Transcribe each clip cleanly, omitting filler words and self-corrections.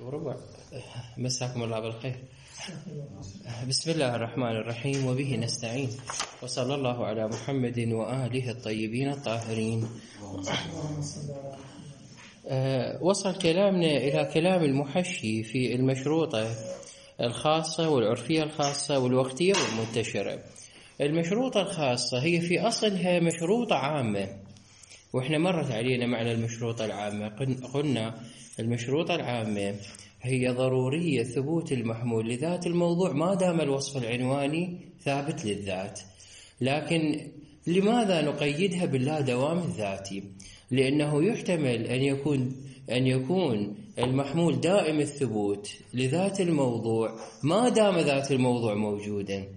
وربع. مساكم الله بالخير. بسم الله الرحمن الرحيم، وبه نستعين، وصلى الله على محمد وآله الطيبين الطاهرين. وصل كلامنا إلى كلام المحشي في المشروطة الخاصة والعرفية الخاصة والوقتية والمنتشرة. المشروطة الخاصة هي في أصلها مشروطة عامة، وإحنا مرت علينا معنى المشروطة العامة. قلنا المشروطة العامة هي ضرورية ثبوت المحمول لذات الموضوع ما دام الوصف العنواني ثابت للذات. لكن لماذا نقيدها باللا دوام الذاتي؟ لأنه يحتمل أن يكون المحمول دائم الثبوت لذات الموضوع ما دام ذات الموضوع موجودا،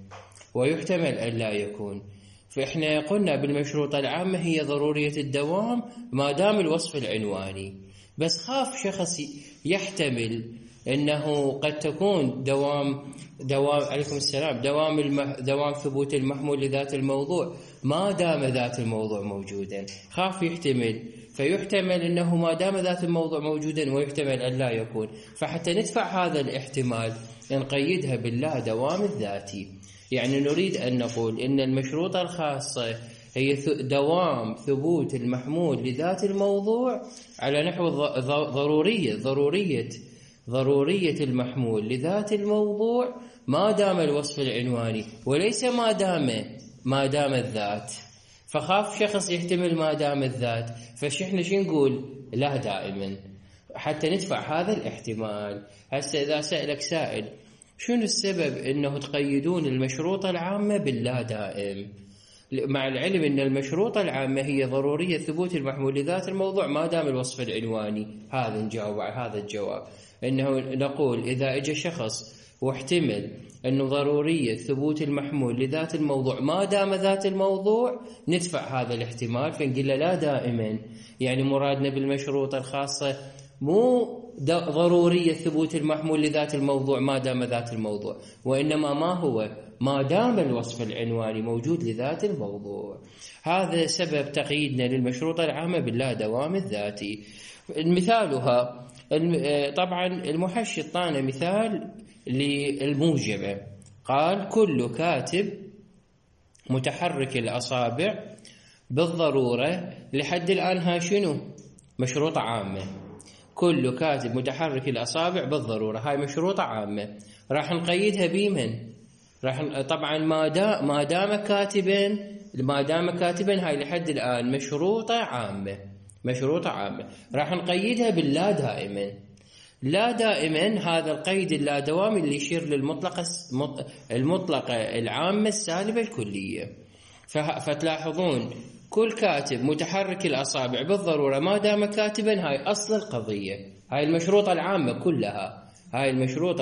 ويحتمل أن لا يكون. فإحنا قلنا بالمشروطة العامة هي ضرورية الدوام ما دام الوصف العنواني، بس خاف شخص يحتمل أنه قد تكون دوام عليكم السلام دوام ثبوت المحمول لذات الموضوع ما دام ذات الموضوع موجودا. خاف يحتمل، فيحتمل أنه ما دام ذات الموضوع موجودا، ويحتمل أن لا يكون. فحتى ندفع هذا الاحتمال نقيدها باللا دوام الذاتي. يعني نريد أن نقول إن المشروطة الخاصة هي دوام ثبوت المحمول لذات الموضوع على نحو ضرورية المحمول لذات الموضوع ما دام الوصف العنواني، وليس ما دام الذات. فخاف شخص يحتمل ما دام الذات، فشحنا شو نقول؟ لا دائما، حتى ندفع هذا الاحتمال. هسه إذا سألك سائل شنو السبب انه تقيدون المشروطة العامة باللا دائم، مع العلم ان المشروطة العامة هي ضرورية ثبوت المحمول لذات الموضوع ما دام الوصف العنواني؟ هذا نجاوب على هذا الجواب، انه نقول اذا اجى شخص واحتمل انه ضرورية ثبوت المحمول لذات الموضوع ما دام ذات الموضوع، ندفع هذا الاحتمال فنقول له لا دائما. يعني مرادنا بالمشروطة الخاصة مو ضرورية ثبوت المحمول لذات الموضوع ما دام ذات الموضوع، وإنما ما هو ما دام الوصف العنواني موجود لذات الموضوع. هذا سبب تقييدنا للمشروطة العامة باللا دوام الذاتي. مثالها طبعا المحشي اعطانا مثال للموجبة، قال كل كاتب متحرك الأصابع بالضرورة. لحد الآن ها شنو؟ مشروطة عامة. كل كاتب متحرك الأصابع بالضرورة، هاي مشروطة عامة. راح نقيدها بمن؟ طبعا ما دام كاتبا هاي لحد الآن مشروطة عامة. راح نقيدها باللا دائما. لا دائما هذا القيد اللا دوام اللي يشير المطلقة العامة السالبة الكلية. فتلاحظون كل كاتب متحرك الأصابع بالضرورة ما دام كاتبا، هاي أصل القضية. هاي المشروطة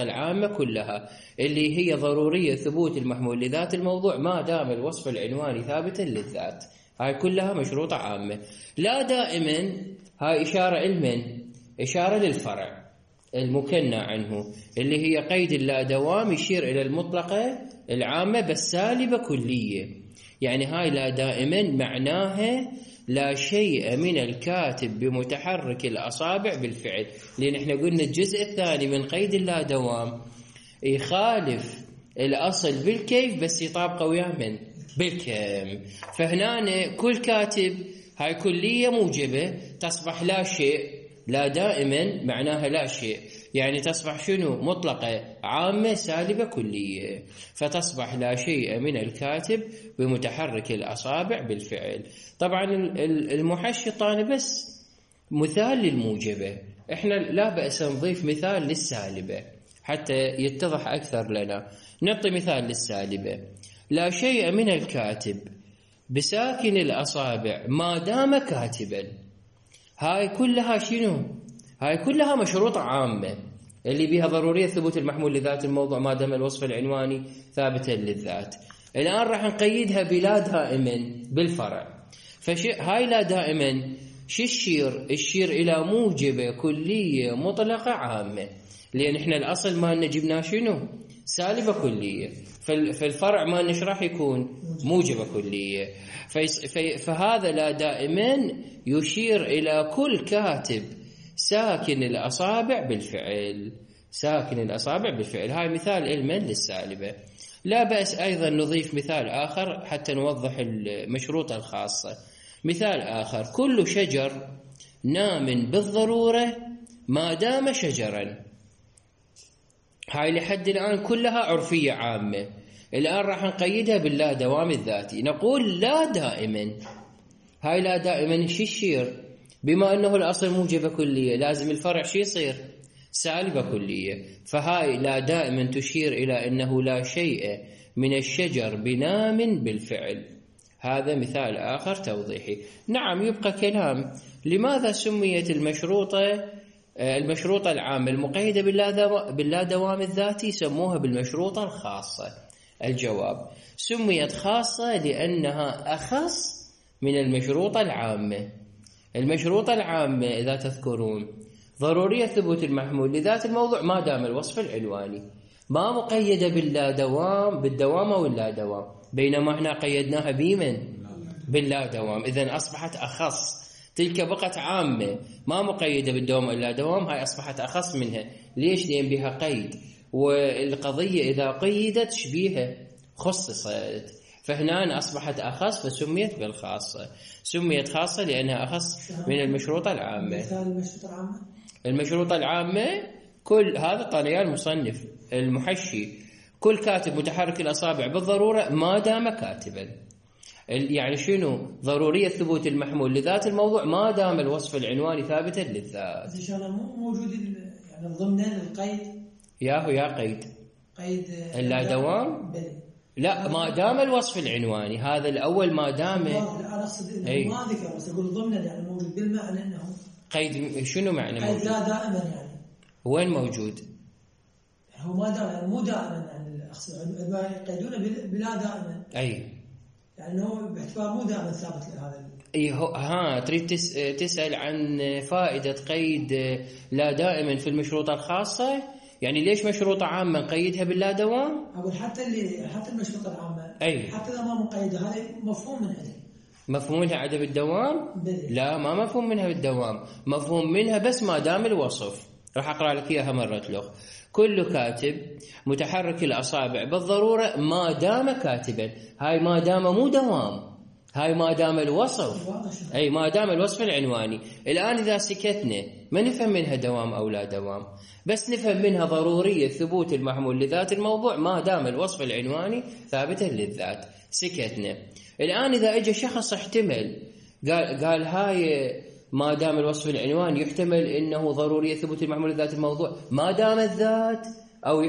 العامة كلها اللي هي ضرورية ثبوت المحمول لذات الموضوع ما دام الوصف العنواني ثابتا للذات. هاي كلها مشروطة عامة. لا دائما هاي إشارة للفرع المكنى عنه، اللي هي قيد اللا دوام يشير إلى المطلقة العامة بس سالبة كلية. يعني هاي لا دائما معناها لا شيء من الكاتب بمتحرك الأصابع بالفعل، لأن احنا قلنا الجزء الثاني من قيد اللا دوام يخالف الأصل بالكيف بس يطابقه وياه بالكم. فهنا كل كاتب هاي كلية موجبة تصبح لا شيء. لا دائما معناها لا شيء، يعني تصبح شنو؟ مطلقة عامة سالبة كلية، فتصبح لا شيء من الكاتب بمتحرك الأصابع بالفعل. طبعا المحشي طاني بس مثال للموجبة، احنا لا بأس نضيف مثال للسالبة حتى يتضح أكثر لنا. نعطي مثال للسالبة: لا شيء من الكاتب بساكن الأصابع ما دام كاتبا. هاي كلها شنو؟ هاي كلها مشروطة عامة اللي بها ضرورية ثبوت المحمول لذات الموضوع ما دام الوصف العنواني ثابتا للذات. الآن راح نقيدها بلا دائما بالفرع. هاي لا دائما شو الشير إلى موجبة كلية مطلقة عامة، لأن احنا الأصل ما جبنا شنو؟ سالبة كلية. فالفرع ما نشرح يكون موجبة كلية. فهذا لا دائما يشير إلى كل كاتب ساكن الأصابع بالفعل. ساكن الأصابع بالفعل. هاي مثال علما للسالبة. لا بأس أيضا نضيف مثال آخر حتى نوضح المشروطة الخاصة. مثال آخر: كل شجر نام بالضرورة ما دام شجرا. هاي لحد الآن كلها عرفية عامة. الآن راح نقيدها باللا دوام الذاتي. نقول لا دائما. هاي لا دائما شو يصير؟ بما أنه الأصل موجبة كلية لازم الفرع شو يصير؟ سالبة كلية. فهاي لا دائما تشير إلى أنه لا شيء من الشجر بنام بالفعل. هذا مثال آخر توضيحي. نعم يبقى كلام: لماذا سميت المشروطة العامة المقيدة باللا دوام الذاتي سموها بالمشروطة الخاصة؟ الجواب: سميت خاصة لأنها أخص من المشروطة العامة. المشروطة العامة إذا تذكرون ضرورية ثبوت المحمول لذات الموضوع ما دام الوصف العنواني، ما مقيدة بالدوام أو اللا دوام، بينما احنا قيدناها باللا دوام. إذن أصبحت أخص. تلك بقت عامة ما مقيدة بالدوام أو اللا دوام، هاي أصبحت أخص منها. ليش؟ لأن بها قيد، والقضية إذا قيدت شبيها خصصت، فهنا أصبحت أخص فسميت بالخاصة. سميت خاصة لأنها أخص من المشروطة العامة. مثال المشروطة العامة كل هذا طاليان المصنف المحشي: كل كاتب متحرك الأصابع بالضرورة ما دام كاتبا. يعني شنو؟ ضرورية ثبوت المحمول لذات الموضوع ما دام الوصف العنواني ثابتا للذات. إن شاء الله مو موجود يعني ضمن القيد. يا قيد اللا دوام. لا، ما دام الوصف العنواني هذا الأول ما دام. أنا أقصد إنه ما ذكر، بس أقول ضمن يعني موجود بالمعنى إنه قيد. شنو معنى قيد؟ موجود؟ لا دائما يعني. وين موجود؟ هو ما دائما يعني مو دائما يعني يقيدونه بلا دائما. أي يعني هو باعتبار مو دائما ثابت لهذا. تريد تسأل عن فائدة قيد لا دائما في المشروطة الخاصة؟ يعني ليش مشروطة عامة نقيدها باللا دوام؟ أقول حتى المشروطة العامة حتى إذا ما مقيدة هذا مفهوم من عدم. مفهوم منها عدم الدوام؟ لا، ما مفهوم منها بالدوام، مفهوم منها بس ما دام الوصف. راح أقرأ لك إياها مرة لغة. كل كاتب متحرك الأصابع بالضرورة ما دام كاتبا. هاي ما دام مو دوام، هاي ما دام الوصف. ما دام الوصف العنواني. الآن إذا سكتنا ما نفهم منها دوام أو لا دوام، بس نفهم منها ضرورية ثبوت المحمول لذات الموضوع ما دام الوصف العنواني ثابتا للذات. سكتنا. الآن إذا اجى شخص احتمل قال هاي ما دام الوصف العنواني يحتمل انه ضرورية ثبوت المحمول لذات الموضوع ما دام الذات، او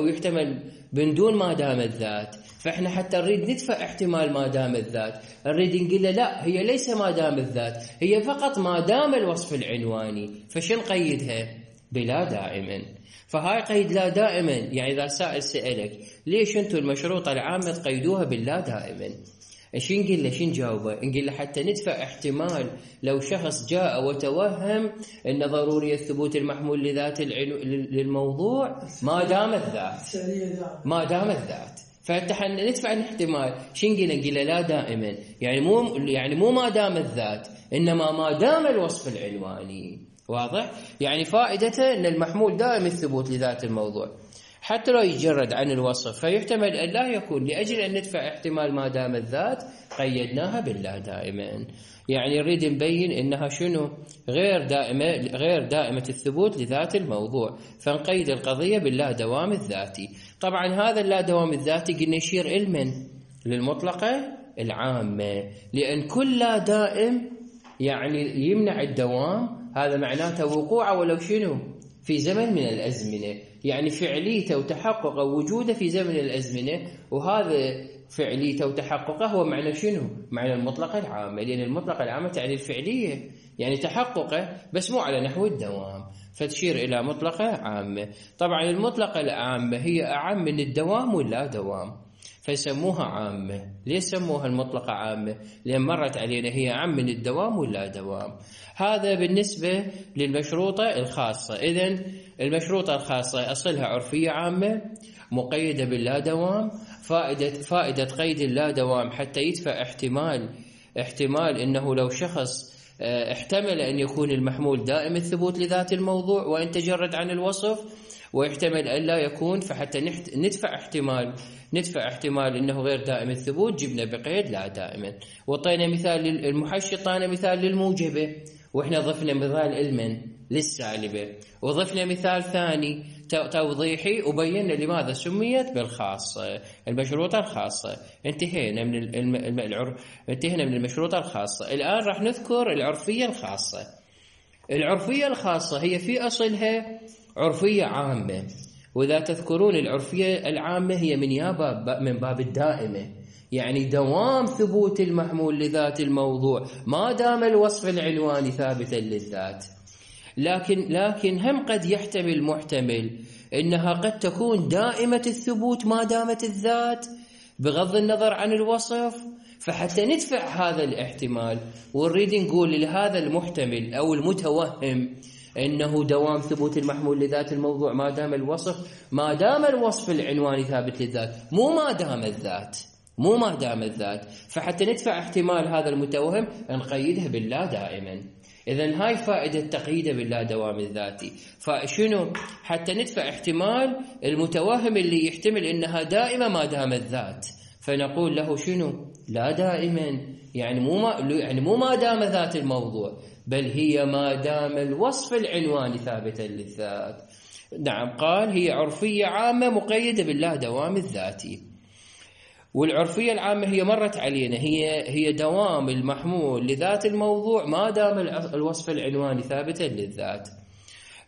يحتمل من دون ما دام الذات. فاحنا حتى نريد ندفع احتمال ما دام الذات، نريد نقول له لا، هي ليس ما دام الذات، هي فقط ما دام الوصف العنواني. فشن قيدها؟ بلا دائما. فهاي قيد لا دائما. يعني اذا سائل سألك ليش انتم المشروطة العامة تقيدوها باللا دائما، شو نقول له؟ شو نجاوبه؟ نقول له حتى ندفع احتمال لو شخص جاء وتوهم ان ضرورية ثبوت المحمول لذات للموضوع ما دام الذات. فحتى ندفع الاحتمال. شو نقول له؟ نقول له لا دائما، يعني مو ما دام الذات، انما ما دام الوصف العنواني. واضح؟ يعني فائدته ان المحمول دائم الثبوت لذات الموضوع حتى لو يجرد عن الوصف، فيحتمل أن لا يكون. لأجل أن ندفع احتمال ما دام الذات قيدناها باللا دائما. يعني نريد نبين إنها شنو؟ غير دائمة الثبوت لذات الموضوع، فنقيد القضية باللا دوام الذاتي. طبعا هذا اللا دوام الذاتي قلنا يشير علما للمطلقة العامة، لأن كل لا دائم يعني يمنع الدوام. هذا معناته وقوعه ولو شنو؟ في زمن من الأزمنة، يعني فعليته وتحققه وجوده في زمن الأزمنة. وهذا فعليته وتحققه هو معنى شنو؟ معنى المطلقة العامة، لأن المطلقة العامة تعني الفعلية، يعني تحققه بس مو على نحو الدوام، فتشير إلى مطلقة عامة. طبعا المطلقة العامة هي أعم من الدوام واللا دوام، فيسموها عامة. ليش سموها المطلقة عامة؟ لأن مرت علينا هي أعم من الدوام واللا دوام. هذا بالنسبة للمشروطة الخاصة. إذن المشروطة الخاصة أصلها عرفية عامة مقيدة باللا دوام. فائدة قيد اللا دوام حتى يدفع احتمال إنه لو شخص احتمل أن يكون المحمول دائم الثبوت لذات الموضوع وإن تجرد عن الوصف، ويحتمل أن لا يكون، فحتى ندفع احتمال أنه غير دائم الثبوت جبنا بقيد لا دائما. وطينا مثال للمحشي، طينا مثال للموجبة، وإحنا ضفنا مثال علما للسالبة، وضفنا مثال ثاني توضيحي وبينا لماذا سميت بالخاصة، المشروطة الخاصة. انتهينا من المشروطة الخاصة. الآن راح نذكر العرفية الخاصة. العرفية الخاصة هي في أصلها عرفية عامة، وإذا تذكرون العرفية العامة هي من باب الدائمة، يعني دوام ثبوت المحمول لذات الموضوع ما دام الوصف العنواني ثابتا للذات. لكن هم قد يحتمل محتمل إنها قد تكون دائمة الثبوت ما دامت الذات بغض النظر عن الوصف. فحتى ندفع هذا الاحتمال ونريد نقول لهذا المحتمل أو المتوهم إنه دوام ثبوت المحمول لذات الموضوع ما دام الوصف العنواني ثابت للذات، مو ما دام الذات. فحتى ندفع احتمال هذا المتوهم نقيدها باللا دائما. إذن هاي فائدة تقييده باللا دوام الذاتي. فشنو؟ حتى ندفع احتمال المتوهم اللي يحتمل إنها دائمة ما دام الذات، فنقول له شنو؟ لا دائما، يعني مو ما دام ذات الموضوع، بل هي ما دام الوصف العنواني ثابتا للذات. نعم، قال هي عرفية عامة مقيدة باللا دوام الذاتي. والعرفية العامة هي مرت علينا، هي دوام المحمول لذات الموضوع ما دام الوصف العنواني ثابتا للذات.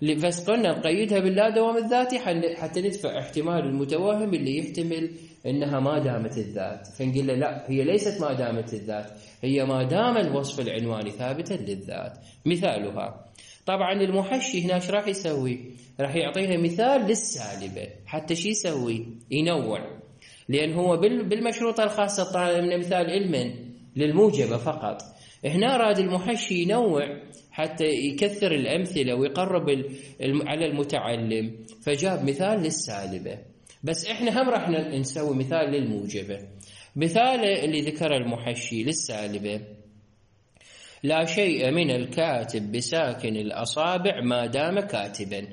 بس قلنا نقيدها باللا دوام الذاتي حتى ندفع احتمال المتوهم اللي يحتمل انها ما دامت الذات، فنقول له لا، هي ليست ما دامت الذات، هي ما دام الوصف العنواني ثابتا للذات. مثالها طبعا المحشي هنا ايش راح يسوي؟ راح يعطينا مثال للسالبة. حتى شي يسوي؟ ينوع، لأن هو بالمشروطة الخاصة طالبنا مثال علما للموجبة فقط. هنا راد المحشي ينوع حتى يكثر الأمثلة ويقرب على المتعلم، فجاب مثال للسالبة. بس إحنا هم راح نسوي مثال للموجبة. مثال اللي ذكر المحشي للسالبة: لا شيء من الكاتب بساكن الأصابع ما دام كاتبا.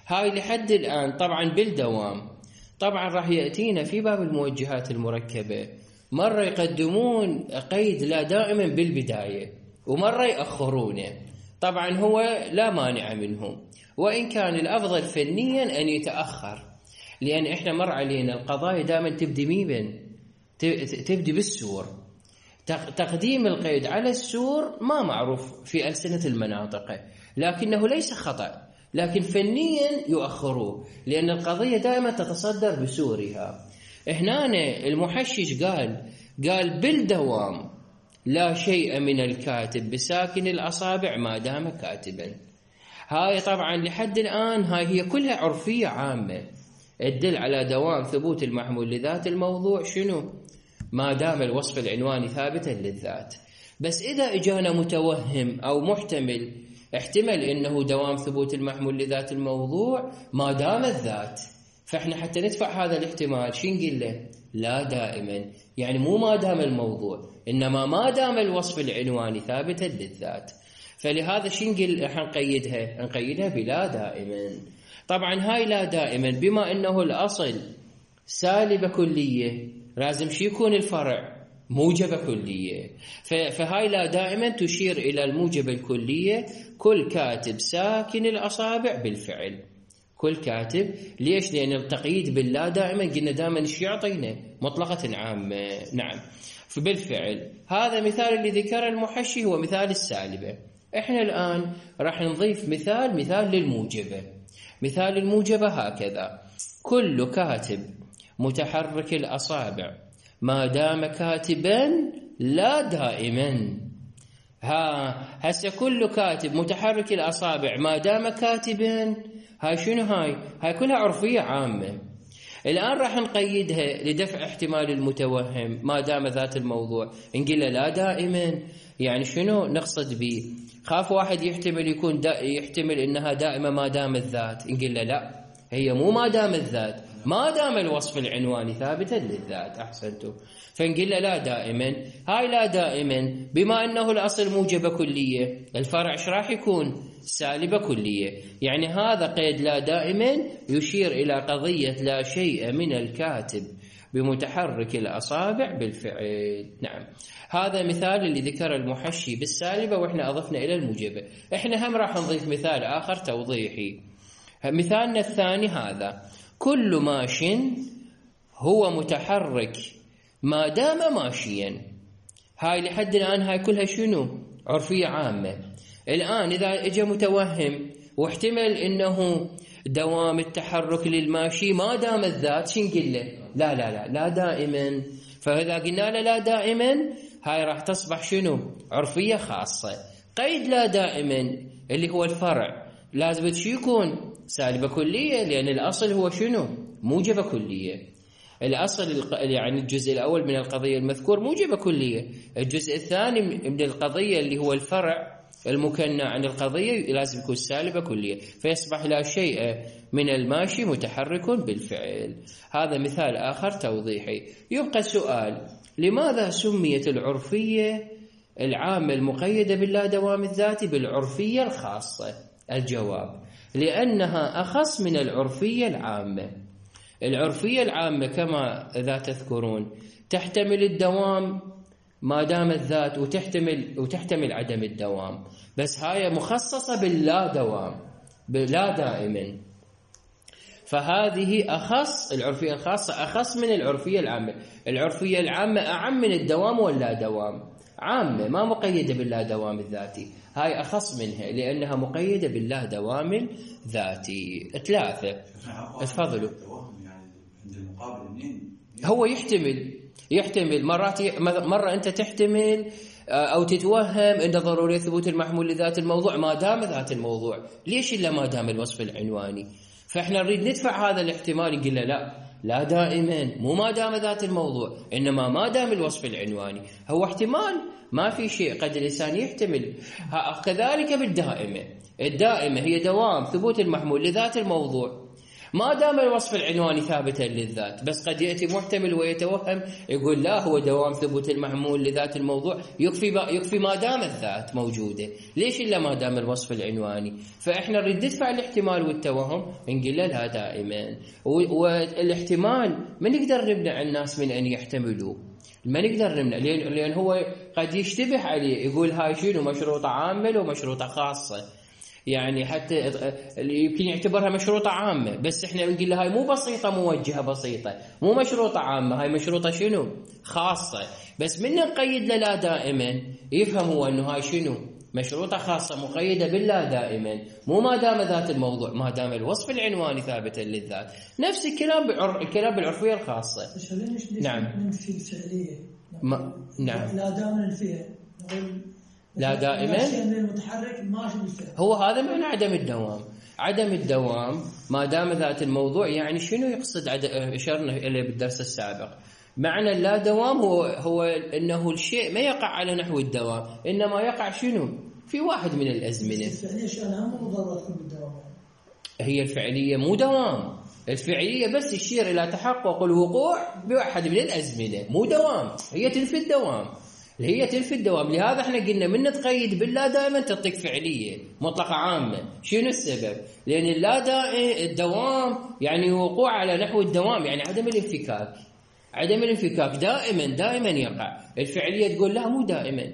هاي لحد الآن طبعا بالدوام. طبعا راح يأتينا في باب الموجهات المركبة مرة يقدمون قيد لا دائما بالبداية ومرة يأخرونه. طبعا هو لا مانع منهم، وإن كان الأفضل فنيا أن يتأخر، لأن إحنا مر علينا القضايا دائما تبدي بالسور. تقديم القيد على السور ما معروف في ألسنة المناطق، لكنه ليس خطأ، لكن فنيا يؤخروه لأن القضية دائما تتصدر بسورها. هنا المحشش قال بالدوام لا شيء من الكاتب بساكن الأصابع ما دام كاتبا. هاي طبعا لحد الآن هاي هي كلها عرفية عامة تدل على دوام ثبوت المحمول لذات الموضوع شنو؟ ما دام الوصف العنواني ثابتا للذات. بس إذا إجانا متوهم أو محتمل احتمل إنه دوام ثبوت المحمول لذات الموضوع ما دام الذات، فإحنا حتى ندفع هذا الاحتمال شو نقول له؟ لا دائما، يعني مو ما دام الموضوع، إنما ما دام الوصف العنواني ثابتا للذات. فلهذا شو نقول؟ نقيدها بلا دائما. طبعا هاي لا دائما بما إنه الأصل سالبة كلية لازم شو يكون الفرع؟ موجبة كلية. فهاي لا دائما تشير إلى الموجبة الكلية. كل كاتب ساكن الأصابع بالفعل. كل كاتب. ليش؟ لأن التقييد باللا دائما قلنا دائما ايش يعطينا؟ مطلقة عامة. نعم. فبالفعل هذا مثال اللي ذكر المحشي هو مثال السالبة. احنا الآن راح نضيف مثال للموجبة. مثال الموجبة هكذا: كل كاتب متحرك الأصابع ما دام كاتبا لا دائما. هسه كل كاتب متحرك الأصابع ما دام كاتبا، هاي شنو؟ هاي كلها عرفية عامة. الآن راح نقيدها لدفع احتمال المتوهم ما دام ذات الموضوع، نقول له لا دائما. يعني شنو نقصد به؟ خاف واحد يحتمل إنها دائمة ما دام الذات، نقول له لا، هي مو ما دام الذات، ما دام الوصف العنواني ثابتا للذات. أحسنتم. فنقول له لا دائما. هاي لا دائما بما أنه الأصل موجبة كلية، الفرع ايش راح يكون؟ سالبة كلية. يعني هذا قيد لا دائما يشير إلى قضية لا شيء من الكاتب بمتحرك الأصابع بالفعل. نعم، هذا مثال اللي ذكر المحشي بالسالبة وإحنا أضفنا إلى الموجبة. إحنا هم راح نضيف مثال آخر توضيحي. مثالنا الثاني هذا: كل ماش هو متحرك ما دام ماشيا. هاي لحد الآن هاي كلها شنو؟ عرفية عامة. الآن إذا اجى متوهم واحتمل إنه دوام التحرك للماشي ما دام الذات، شنقل له؟ لا لا لا لا دائما. فإذا قلنا له لا دائما، هاي راح تصبح شنو؟ عرفية خاصة. قيد لا دائما اللي هو الفرع لازم شو يكون؟ سالبة كلية، لأن الأصل هو شنو؟ موجبة كلية. الأصل يعني الجزء الأول من القضية المذكور موجبة كلية، الجزء الثاني من القضية اللي هو الفرع المكنى عن القضية لازم يكون سالبة كلية، فيصبح لا شيء من الماشي متحرك بالفعل. هذا مثال آخر توضيحي. يبقى السؤال: لماذا سميت العرفية العامة المقيدة باللا دوام الذاتي بالعرفية الخاصة؟ الجواب: لأنها أخص من العرفية العامة. العرفية العامة كما إذا تذكرون تحتمل الدوام ما دام الذات وتحتمل عدم الدوام، بس هاي مخصصة باللا دوام، بلا دائما. فهذه أخص، العرفية الخاصة أخص من العرفية العامة. العرفية العامة أعم من الدوام واللا دوام، عامة ما مقيدة باللا دوام الذاتي. هاي أخص منها لأنها مقيدة باللا دوام الذاتي. ثلاثة. تفضلوا. هو يحتمل مرة أنت تحتمل أو تتوهم أن ضرورية ثبوت المحمول لذات الموضوع ما دام ذات الموضوع. ليش إلا ما دام الوصف العنواني؟ فإحنا نريد ندفع هذا الاحتمال، نقول له لا دائما، مو ما دام ذات الموضوع، إنما ما دام الوصف العنواني. هو احتمال، ما في شيء، قد الإنسان يحتمل. كذلك بالدائمة. الدائمة هي دوام ثبوت المحمول لذات الموضوع ما دام الوصف العنواني ثابتا للذات، بس قد يأتي محتمل ويتوهم يقول لا، هو دوام ثبوت المحمول لذات الموضوع يكفي ما دام الذات موجودة. ليش إلا ما دام الوصف العنواني؟ فإحنا نريد ندفع الاحتمال والتوهم، نقول له لا دائما. والاحتمال ما نقدر نمنع الناس من أن يحتملوا، ما نقدر نمنع، لأن هو قد يشتبه عليه، يقول هاي شنو مشروطة عامة ومشروطة خاصة. يعني حتى يمكن يعتبرها مشروطة عامة، بس احنا بنقول له هاي مو بسيطة موجهة بسيطة، مو مشروطة عامة، هاي مشروطة شنو؟ خاصة. بس من نقيد له لا دائما يفهم هو انه هاي شنو؟ مشروطة خاصة مقيدة باللا دائما، مو ما دام ذات الموضوع، ما دام الوصف العنواني ثابتا للذات. نفس الكلام بالعرفية الخاصة. نعم. ننفي الفعلية. نعم. لا دائما ننفيها. لا دائما هو هذا معنى عدم الدوام. عدم الدوام ما دام ذات الموضوع، يعني شنو يقصد؟ اشرنا اليه بالدرس السابق. معنى لا دوام هو انه الشيء ما يقع على نحو الدوام، انما يقع شنو؟ في واحد من الازمنه. هي الفعليه مو دوام، الفعليه بس تشير الى تحقق الوقوع بواحد من الازمنه، مو دوام. هي تنفي الدوام، هي تنفي الدوام. لهذا احنا قلنا من تقيد باللا دائما تعطيك فعليه مطلقه عامه. شنو السبب؟ لان الدوام يعني وقوع على نحو الدوام، يعني عدم الانفكاك. عدم الانفكاك دائما يقع. الفعليه تقول لا، مو دائما،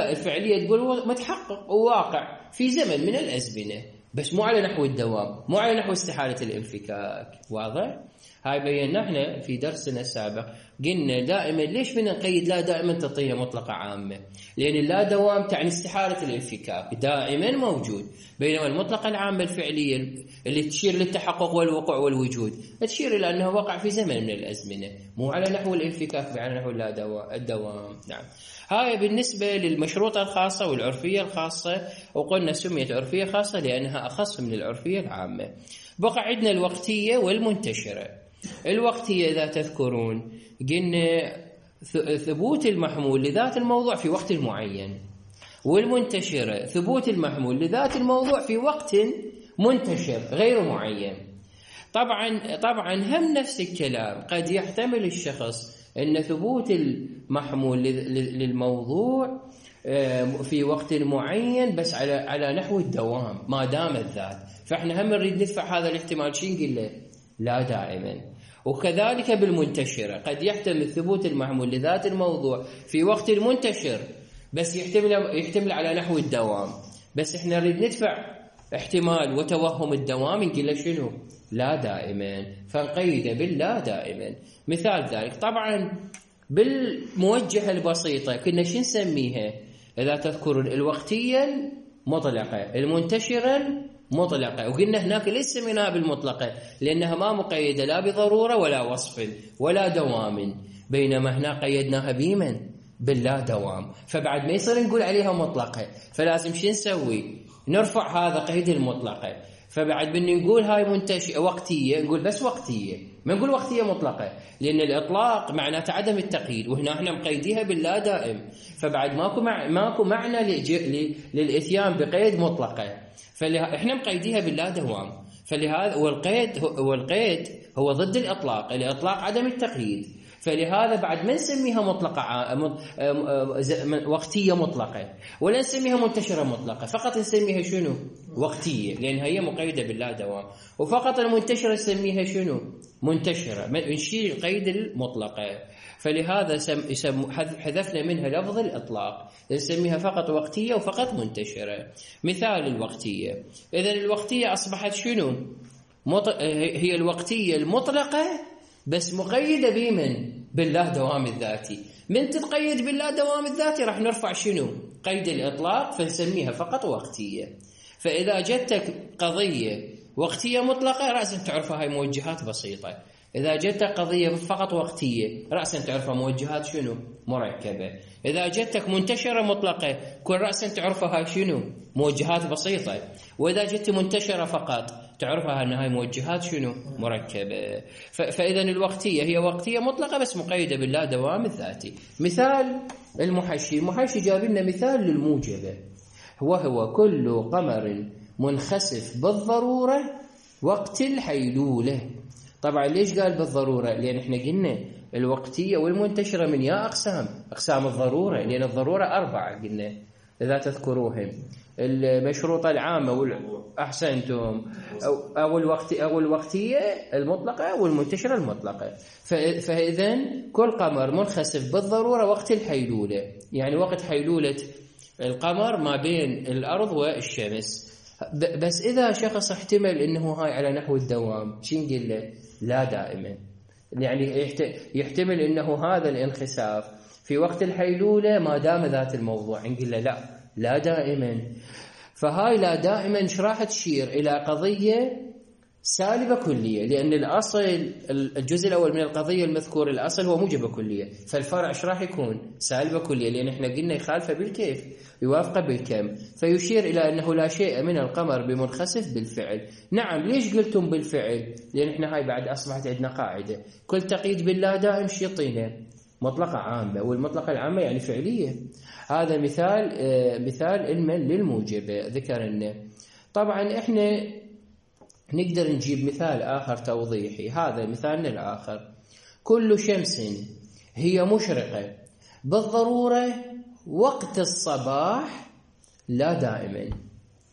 الفعليه تقول متحقق وواقع في زمن من الازمنه، بس مو على نحو الدوام، مو على نحو استحاله الانفكاك. واضح؟ هاي بينا احنا في درسنا السابق. قلنا دائما ليش بدنا نقيد لا دائما تعطيها مطلقة عامة؟ لأن اللا دوام تعني استحالة الانفكاك، دائما موجود. بينما المطلقة العامة الفعلية اللي تشير للتحقق والوقوع والوجود تشير إلى أنه وقع في زمن من الأزمنة، مو على نحو الانفكاك، على نحو الدوام. نعم. هاي بالنسبة للمشروطة الخاصة والعرفية الخاصة، وقلنا سميت عرفية خاصة لأنها أخص من العرفية العامة. بقى عندنا الوقتية والمنتشرة. الوقتية إذا تذكرون قلنا ثبوت المحمول لذات الموضوع في وقت معين، والمنتشرة ثبوت المحمول لذات الموضوع في وقت منتشر غير معين. طبعا هم نفس الكلام، قد يحتمل الشخص أن ثبوت المحمول للموضوع في وقت معين بس على نحو الدوام ما دام الذات، فإحنا هم نريد ندفع هذا الاحتمال. شو نقول له؟ لا دائما. وكذلك بالمنتشرة قد يحتمل ثبوت المحمول لذات الموضوع في وقت المنتشر بس يحتمل على نحو الدوام، بس إحنا نريد ندفع احتمال وتوهم الدوام نقول له شنو؟ لا دائما، فنقيده باللا دائما. مثال ذلك طبعا بالموجهة البسيطة كنا شو نسميها؟ إذا تذكر الوقتية المطلقة، المنتشرة المطلقة، وقلنا هناك ليس سميناها بالمطلقة لأنها ما مقيدة لا بضرورة ولا وصف ولا دوام، بينما هنا قيدناها بمن؟ باللا دوام، فبعد ما يصير نقول عليها مطلقة، فلازم شو نسوي؟ نرفع هذا قيد المطلقة، فبعد من نقول هاي وقتية نقول بس وقتية، ما نقول وقتية مطلقة، لأن الإطلاق معناته عدم التقييد، وهنا احنا مقيديها باللا دائم، فبعد ماكو معنى للإتيان بقيد مطلقة، فاحنا مقيديها باللا دوام. فلهذا والقيد هو ضد الإطلاق عدم التقييد، فلهذا بعد ما نسميها مطلقة وقتية مطلقة ولا نسميها منتشرة مطلقة، فقط نسميها شنو؟ وقتية، لأن هي مقيدة باللا دوام، وفقط المنتشرة نسميها شنو؟ منتشرة، نشيل القيد المطلقة، فلهذا حذفنا منها لفظ الإطلاق، نسميها فقط وقتية وفقط منتشرة. مثال الوقتية، إذن الوقتية أصبحت شنو؟ هي الوقتية المطلقة بس مقيدة بمن؟ بالله دوام الذاتي. من تتقيد بالله دوام الذاتي راح نرفع شنو؟ قيد الإطلاق، فنسميها فقط وقتية. فإذا جتك قضية وقتية مطلقة رأسا تعرفها هاي موجهات بسيطة، إذا جتك قضية فقط وقتية رأسا تعرفها موجهات شنو؟ مركبة. إذا جتك منتشرة مطلقة كل رأسا تعرفها هاي شنو؟ موجهات بسيطة. وإذا جت منتشرة فقط تعرفها أن هاي موجهات شنو؟ مركبة. فإذا الوقتية هي وقتية مطلقة بس مقيدة باللا دوام الذاتي. مثال المحشي جاب لنا مثال للموجبة، وهو كل قمر منخسف بالضرورة وقت الحيلولة. طبعا ليش قال بالضرورة؟ لأن احنا قلنا الوقتية والمنتشرة من يا أقسام الضرورة، لأن الضرورة 4 قلنا إذا تذكروهم، المشروطة العامة أحسنتم، أو الوقتية المطلقة والمنتشرة المطلقة. فإذا كل قمر منخسف بالضرورة وقت الحيلولة، يعني وقت حيلولة القمر ما بين الأرض والشمس. بس إذا شخص احتمل إنه هاي على نحو الدوام شو نقول له؟ لا دائما، يعني يحتمل إنه هذا الانخساف في وقت الحيلولة ما دام ذات الموضوع، نقول له لا دائما. فهاي لا دائما ايش راح تشير إلى قضية سالبة كلية، لأن الأصل الجزء الأول من القضية المذكور الأصل هو موجبة كلية، فالفرع ايش راح يكون؟ سالبة كلية، لأن احنا قلنا يخالفه بالكيف يوافقه بالكم، فيشير إلى أنه لا شيء من القمر بمنخسف بالفعل. نعم، ليش قلتم بالفعل؟ لأن احنا هاي بعد أصبحت عندنا قاعدة كل تقييد باللا دائم شيطينه مطلقة عامة، والمطلقة العامة يعني فعلية. هذا مثال علما للموجبة ذكرنا. طبعا احنا نقدر نجيب مثال آخر توضيحي، هذا مثالنا الآخر: كل شمس هي مشرقة بالضرورة وقت الصباح لا دائما.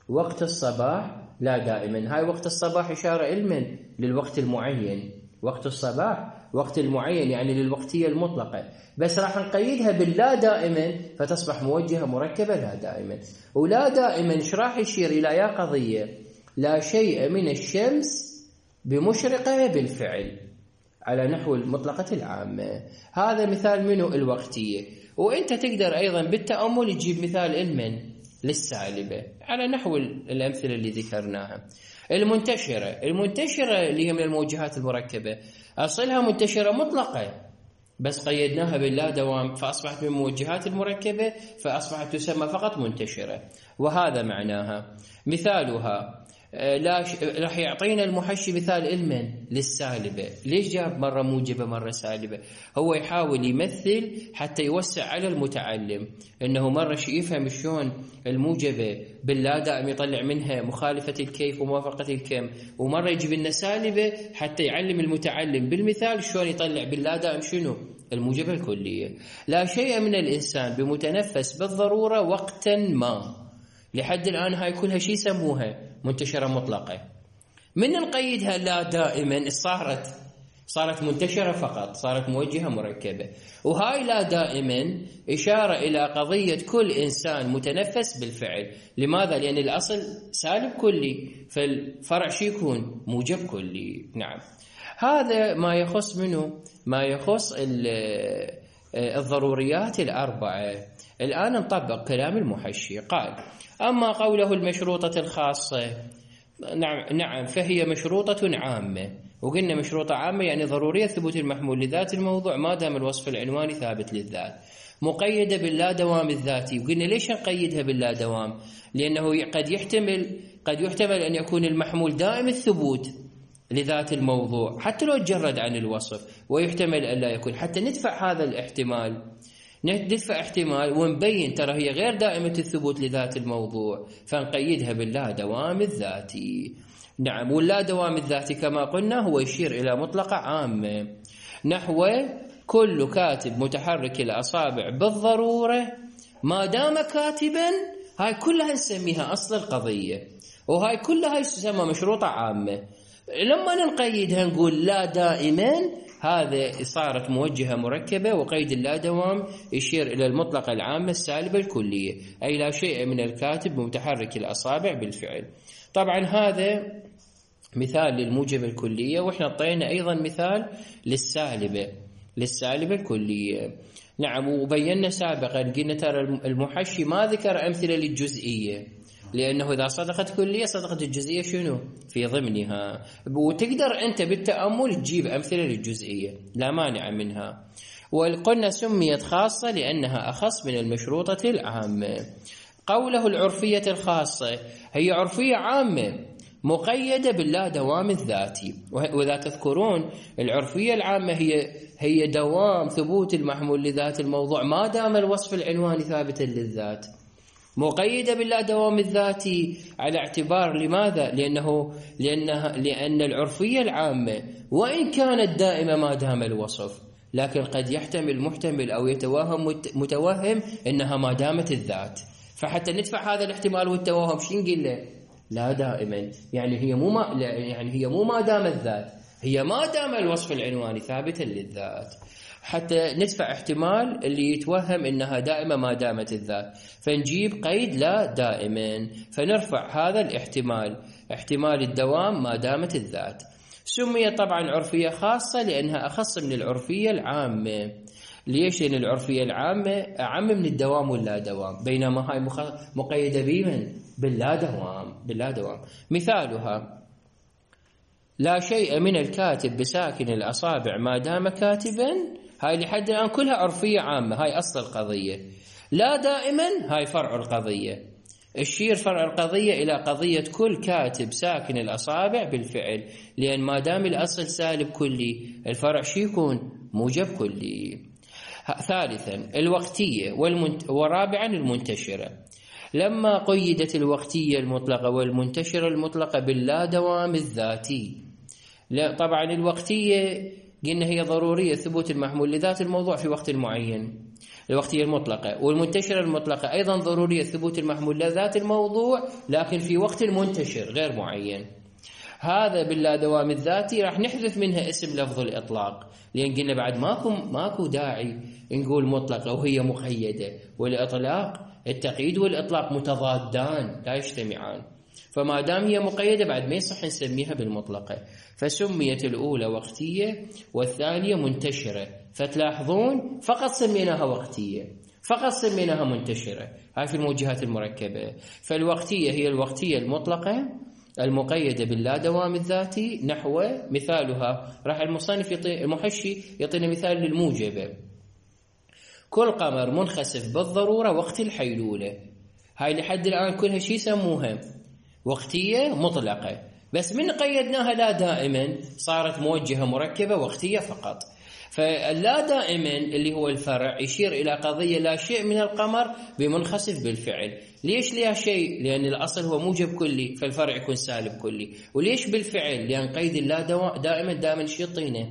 وقت الصباح لا دائما، هاي وقت الصباح إشارة علما للوقت المعين، وقت الصباح وقت المعين يعني للوقتية المطلقة، بس راح نقيدها باللا دائما فتصبح موجهة مركبة لا دائما. ولا دائما ايش راح يشير إلى يا قضية لا شيء من الشمس بمشرقة بالفعل على نحو المطلقة العامة. هذا مثال منه الوقتية. وانت تقدر ايضا بالتأمل تجيب مثال علما للسالبة على نحو الأمثلة اللي ذكرناها. المنتشرة اللي هي من الموجهات المركبة أصلها منتشرة مطلقة بس قيدناها باللا دوام فأصبحت من الموجهات المركبة فأصبحت تسمى فقط منتشرة، وهذا معناها. مثالها راح يعطينا المحشي مثال إلمن للسالبة. ليش جاب مرة موجبة مرة سالبة؟ هو يحاول يمثل حتى يوسع على المتعلم، إنه مرة يفهم شلون الموجبة باللا دائم يطلع منها مخالفة الكيف وموافقة الكم، ومرة يجيب لنا سالبة حتى يعلم المتعلم بالمثال شلون يطلع باللا دائم شنو الموجبة الكلية. لا شيء من الإنسان بمتنفس بالضرورة وقتا ما. لحد الآن هاي كلها شي يسموها منتشرة مطلقة. من نقيدها لا دائما صارت منتشرة فقط، صارت موجهة مركبة. وهاي لا دائما إشارة إلى قضية كل إنسان متنفس بالفعل. لماذا؟ لأن الأصل سالب كلي، فالفرع شي يكون موجب كلي. نعم، هذا ما يخص منه، ما يخص الضروريات الأربعة. الآن نطبق كلام المحشي. قال: أما قوله المشروطة الخاصة، نعم فهي مشروطة عامة. وقلنا مشروطة عامة يعني ضرورية ثبوت المحمول لذات الموضوع ما دام الوصف العنواني ثابت للذات، مقيدة باللا دوام الذاتي. وقلنا ليش نقيدها باللا دوام؟ لأنه قد يحتمل أن يكون المحمول دائم الثبوت لذات الموضوع حتى لو تجرد عن الوصف، ويحتمل أن لا يكون. حتى ندفع هذا الاحتمال، ندفع احتمال ونبين ترى هي غير دائمة الثبوت لذات الموضوع، فنقيدها باللا دوام الذاتي. نعم، واللا دوام الذاتي كما قلنا هو يشير إلى مطلقة عامة، نحو كل كاتب متحرك الأصابع بالضرورة ما دام كاتبا. هاي كلها نسميها أصل القضية، وهاي كلها تسمى مشروطة عامة. لما نقيدها نقول لا دائما، هذا صارت موجهة مركبة، وقيد اللا دوام يشير إلى المطلقة العامة السالبة الكلية، أي لا شيء من الكاتب متحرك الأصابع بالفعل. طبعا هذا مثال للموجبة الكلية، وإحنا اعطينا أيضا مثال للسالبة الكلية. نعم، وبينا سابقا قلنا ترى المحشي ما ذكر أمثلة للجزئية، لأنه إذا صدقت كلية صدقت الجزئية شنو في ضمنها، وتقدر أنت بالتأمل تجيب أمثلة للجزئية لا مانع منها. وقلنا سميت خاصة لأنها أخص من المشروطة العامة. قوله العرفية الخاصة، هي عرفية عامة مقيدة باللا دوام الذاتي. وإذا تذكرون العرفية العامة هي دوام ثبوت المحمول لذات الموضوع ما دام الوصف العنواني ثابتا للذات، مقيدة باللا دوام الذاتي على اعتبار لماذا؟ لأن العرفية العامة وإن كانت دائمة ما دام الوصف، لكن قد يحتمل محتمل أو يتوهم متوهم إنها ما دامت الذات. فحتى ندفع هذا الاحتمال والتوهم شو نقول له؟ لا دائما، يعني هي مو ما دام الذات، هي ما دام الوصف العنواني ثابتا للذات. حتى ندفع احتمال اللي يتوهم إنها دائمة ما دامت الذات، فنجيب قيد لا دائما، فنرفع هذا الاحتمال، احتمال الدوام ما دامت الذات. سمي طبعا عرفية خاصة لأنها أخص من العرفية العامة. ليش؟ لأن العرفية العامة أعم من الدوام واللا دوام، بينما هاي مقيدة بمن؟ باللا دوام. مثالها: لا شيء من الكاتب بساكن الأصابع ما دام كاتبا. هاي لحد الآن كلها عرفية عامة، هاي أصل القضية. لا دائما هاي فرع القضية، الشير فرع القضية إلى قضية كل كاتب ساكن الأصابع بالفعل، لأن ما دام الأصل سالب كلي الفرع شي يكون موجب كلي. ثالثا الوقتية، ورابعا المنتشرة. لما قيدت الوقتية المطلقة والمنتشرة المطلقة باللا دوام الذاتي. لا طبعا الوقتية قلنا هي ضرورية ثبوت المحمول لذات الموضوع في وقت معين، الوقتية المطلقة، والمنتشرة المطلقة أيضا ضرورية ثبوت المحمول لذات الموضوع لكن في وقت منتشر غير معين. هذا باللا دوام الذاتي راح نحذف منها اسم لفظ الإطلاق، لأن قلنا بعد ماكو داعي نقول مطلقة وهي مقيدة، والإطلاق التقييد والإطلاق متضادان لا يجتمعان، فما دام هي مقيدة بعد ما يصح نسميها بالمطلقة. فسميت الأولى وقتية والثانية منتشرة، فتلاحظون فقط سميناها وقتية، فقط سميناها منتشرة. هاي في الموجهات المركبة. فالوقتية هي الوقتية المطلقة المقيدة باللا دوام الذاتي، نحو مثالها راح المصنف المحشي يعطينا مثال للموجبة: كل قمر منخسف بالضرورة وقت الحيلولة. هاي لحد الآن كلها شي يسموها وقتية مطلقة، بس من قيدناها لا دائما صارت موجهة مركبة وقتية فقط. فاللا دائما اللي هو الفرع يشير إلى قضية لا شيء من القمر بمنخسف بالفعل. ليش لا شيء؟ لأن الأصل هو موجب كلي، فالفرع يكون سالب كلي. وليش بالفعل؟ لأن قيد اللا دائما شيء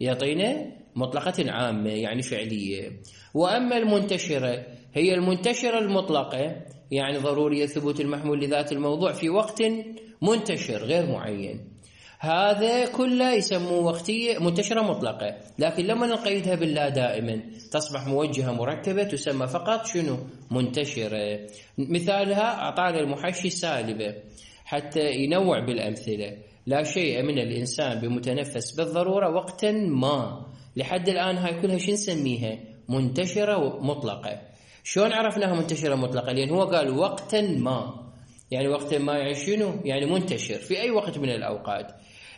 يعطينا مطلقة عامة يعني فعلية. وأما المنتشرة هي المنتشرة المطلقة، يعني ضرورية ثبوت المحمول لذات الموضوع في وقت منتشر غير معين، هذا كله يسموه وقتية منتشرة مطلقة. لكن لما نقيدها باللا دائما تصبح موجهة مركبة، تسمى فقط شنو؟ منتشرة. مثالها أعطانا المحشي سالبة حتى ينوع بالأمثلة. لا شيء من الإنسان بمتنفس بالضرورة وقتا ما. لحد الآن هاي كلها شو نسميها؟ منتشرة مطلقة. شلون عرفناها منتشرة مطلقة؟ لأن هو قال وقتا ما، يعني وقتا ما يعني شنو؟ يعني منتشر في أي وقت من الأوقات.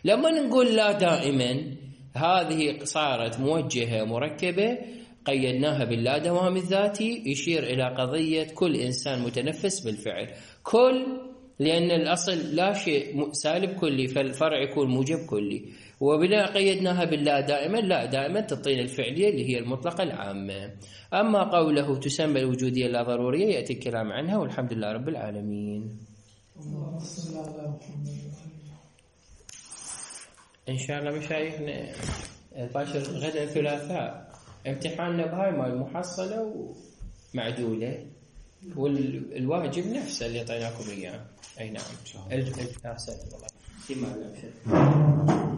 لما نقول لا دائما هذه صارت موجهة مركبة قيدناها باللا دوام الذاتي، يشير إلى قضية كل إنسان متنفس بالفعل. كل لأن الأصل لا شيء سالب كلي، فالفرع يكون موجب كلي. وبناء قيدناها باللا دائما، لا دائما تعطينا الفعلية اللي هي المطلقة العامة. أما قوله تسمى الوجودية لا ضرورية يأتي الكلام عنها، والحمد لله رب العالمين. إن شاء الله مشايخنا الباشر غدا الثلاثاء امتحاننا بهاي مال المحصلة ومعدولة، والواجب نفسه اللي اعطيناكم اياه. اي نعم. احسنت والله.